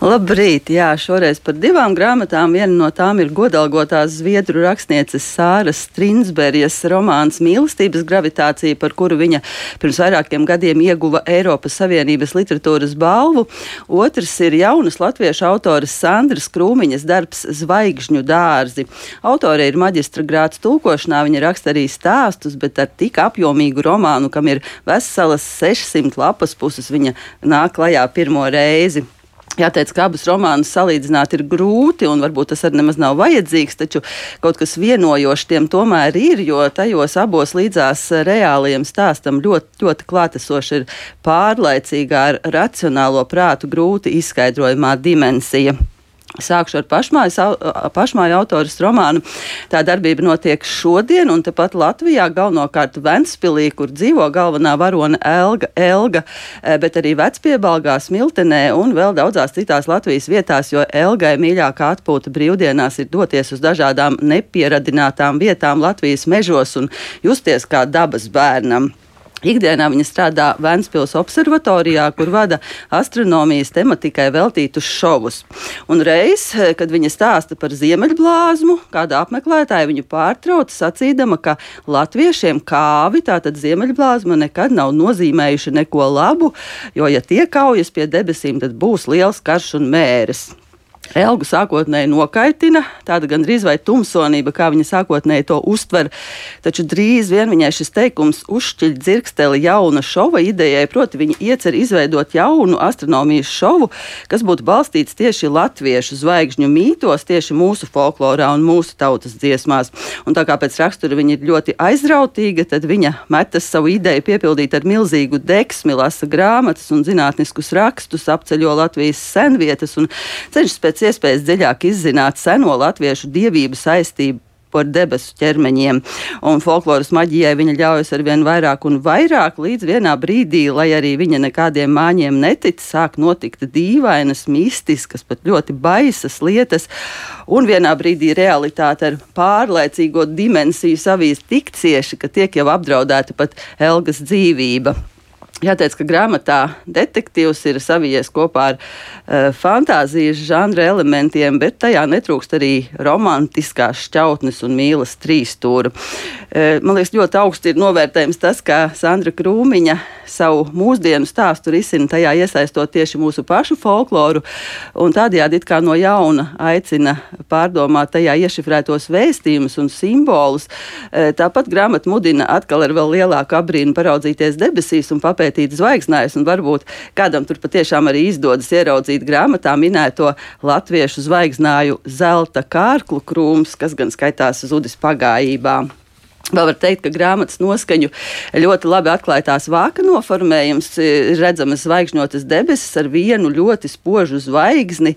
Labrīt! Jā, šoreiz par divām grāmatām. Viena no tām ir godalgotās zviedru rakstnieces Sāras Strinsberjas romāns Mīlestības gravitācija, par kuru viņa pirms vairākiem gadiem ieguva Eiropas Savienības literatūras balvu. Otrs ir jaunas latviešu autores Sandras Krūmiņas darbs Zvaigžņu dārzi. Autore ir maģistra grāds tulkošanā, viņa raksta arī stāstus, bet ar tik apjomīgu romānu, kam ir veselas 600 lapas puses, viņa nāk klajā pirmo reizi. Jāteic, ka abus romānus salīdzināt ir grūti, un varbūt tas arī nemaz nav vajadzīgs, taču kaut kas vienojošs tiem tomēr ir, jo tajos abos līdzās reālajiem stāstam ļoti klātesoši ir pārlaicīgā ar racionālo prātu grūti izskaidrojamā dimensija. Sākšu ar pašmāju autoras romānu. Tā darbība notiek šodien, un tepat Latvijā, galvenokārt Ventspilī, kur dzīvo galvenā varone Elga, bet arī Vecpiebalgā, Smiltenē un vēl daudzās citās Latvijas vietās, jo Elgai mīļākā atpūta brīvdienās ir doties uz dažādām nepieradinātām vietām Latvijas mežos un justies kā dabas bērnam. Ikdienā viņa strādā Ventspils observatorijā, kur vada astronomijas tematikai veltītus šovus. Un reiz, kad viņa stāsta par ziemeļblāzmu, kāda apmeklētāja viņu pārtrauca, sacīdama, ka latviešiem kāvi, tātad ziemeļblāzma, nekad nav nozīmējuši neko labu, jo, ja tie kaujas pie debesīm, tad būs liels karš un mēres. Elgu sākotnēji nokaitina, tāda gandrīz vai tumsonība, kā viņa sākotnēji to uztver, taču drīz vien viņai šis teikums uzšķiļ dzirksteli jauna šova idejai, proti viņa iecer izveidot jaunu astronomijas šovu, kas būtu balstīts tieši latviešu zvaigžņu mītos, tieši mūsu folklorā un mūsu tautas dziesmās. Un tā kā pēc rakstura viņa ir ļoti aizrautīga, tad viņa metas savu ideju piepildīt ar milzīgu deksmi, lasa grāmatas un zinātniskus rakstus, apceļo Latvijas senvietas un cenšas pēc iespējas dziļāk izzināt seno latviešu dievību saistību ar debesu ķermeņiem. Un folkloras maģijai viņa ļaujas arvien vairāk un vairāk, līdz vienā brīdī, lai arī viņa nekādiem māņiem netic, sāk notikt dīvainas, mistiskas, pat ļoti baisas lietas. Un vienā brīdī realitāte ar pārlaicīgo dimensiju savīs tik cieši, ka tiek jau apdraudēta pat Elgas dzīvība. Jāteic, ka grāmatā detektīvs ir savijies kopā ar fantāzijas žanra elementiem, bet tajā netrūkst arī romantiskās šķautnes un mīlas trīsstūra. Man liekas, ļoti augsti ir novērtējums tas, ka Sandra Krūmiņa savu mūsdienu stāstu risina tajā iesaistot tieši mūsu pašu folkloru, un tādējādi it kā no jauna aicina pārdomāt tajā iešifrētos vēstījumus un simbolus. Tāpat grāmata mudina atkal ar vēl lielāku abrīnu paraudzīties debesīs un papētīt zvaigznājus, un varbūt kādam tur patiešām arī izdodas ieraudzīt grāmatā minēto latviešu zvaigznāju zelta kārklu krūms, kas gan skaitās Zudis pagājībā. Vēl var teikt, ka grāmatas noskaņu ļoti labi atklāja tās vāka noformējums, redzamas zvaigžņotas debesis ar vienu ļoti spožu zvaigzni,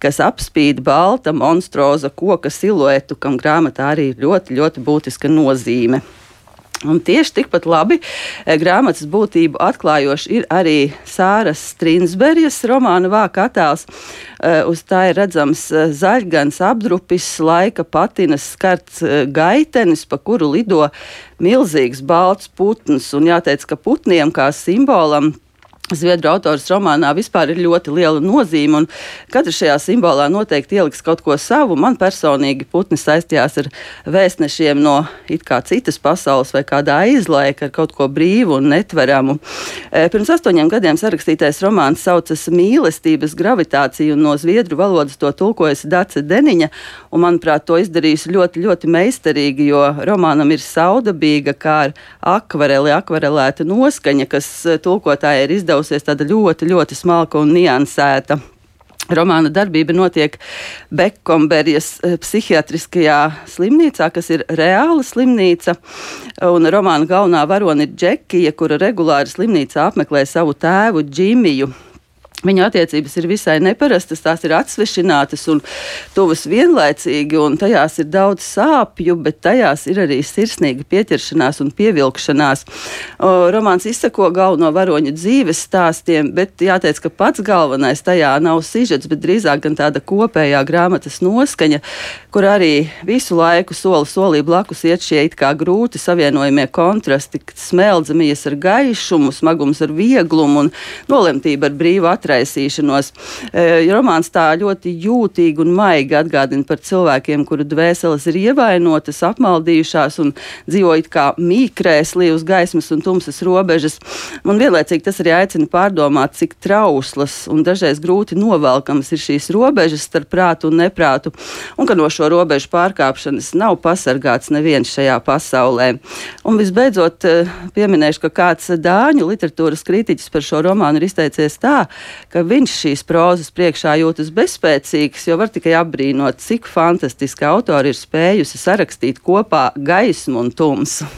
kas apspīd balta monstroza koka siluetu, kam grāmatā arī ļoti, ļoti būtiska nozīme. Un tieši tikpat labi grāmatas būtību atklājoši ir arī Sāras Strinsberjas romāna vāka attēls. Uz tā ir redzams zaļgans apdrupis, laika patinas skarts gaitenis, pa kuru lido milzīgs balts putns. Un jāteic, ka putniem kā simbolam zviedru autors romānā vispār ir ļoti liela nozīme, un katrs šajā simbolā noteikti ieliks kaut ko savu. Man personīgi putni saistījās ar vēstnešiem no it kā citas pasaules vai kādā aizlaika, ar kaut ko brīvu un netveramu. Pirms 8 gadiem sarakstītais romāns saucas Mīlestības gravitācija, un no zviedru valodas to tulkojusi Dace Deniņa, un manuprāt, to izdarījusi ļoti, ļoti meistarīgi, jo romānam ir saudabīga, kā ar akvarelēta noskaņa, kas tulkotāja ir izdevusies tāda ļoti, ļoti smalka un niansēta. Romāna darbība notiek Bekomberjas psihiatriskajā slimnīcā, kas ir reāla slimnīca, un romāna galvenā varone ir Džekija, kura regulāri slimnīcā apmeklē savu tēvu Džimiju. Viņu attiecības ir visai neparastas, tās ir atsvešinātas un tuvas vienlaicīgi, un tajās ir daudz sāpju, bet tajās ir arī sirsnīga pieķeršanās un pievilkšanās. Romāns izsako galveno varoņu dzīves stāstiem, bet jāteic, ka pats galvenais tajā nav sižets, bet drīzāk gan tāda kopējā grāmatas noskaņa, kur arī visu laiku soli solī blakus iet šie it kā grūti savienojamie kontrasti, smeldze mijas ar gaišumu, smagums ar vieglumu un nolemtība ar brīvu atrādi izraisīšanos. Romāns tā ļoti jūtīgi un maigi atgādina par cilvēkiem, kuru dvēseles ir ievainotas, apmaldījušās un dzīvo it kā mīkrēslī uz gaismas un tumsas robežas. Un vienlaicīgi tas arī aicina pārdomāt, cik trauslas un dažreiz grūti novelkamas ir šīs robežas starp prātu un neprātu, un ka no šo robežu pārkāpšanas nav pasargāts neviens šajā pasaulē. Un visbeidzot, pieminēšu, ka kāds dāņu literatūras kritiķis par šo romānu ir izteicies tā, ka viņš šīs prozas priekšā jūtas bezspēcīgs, jo var tikai apbrīnot, cik fantastiski autori ir spējusi sarakstīt kopā gaismu un tumsu.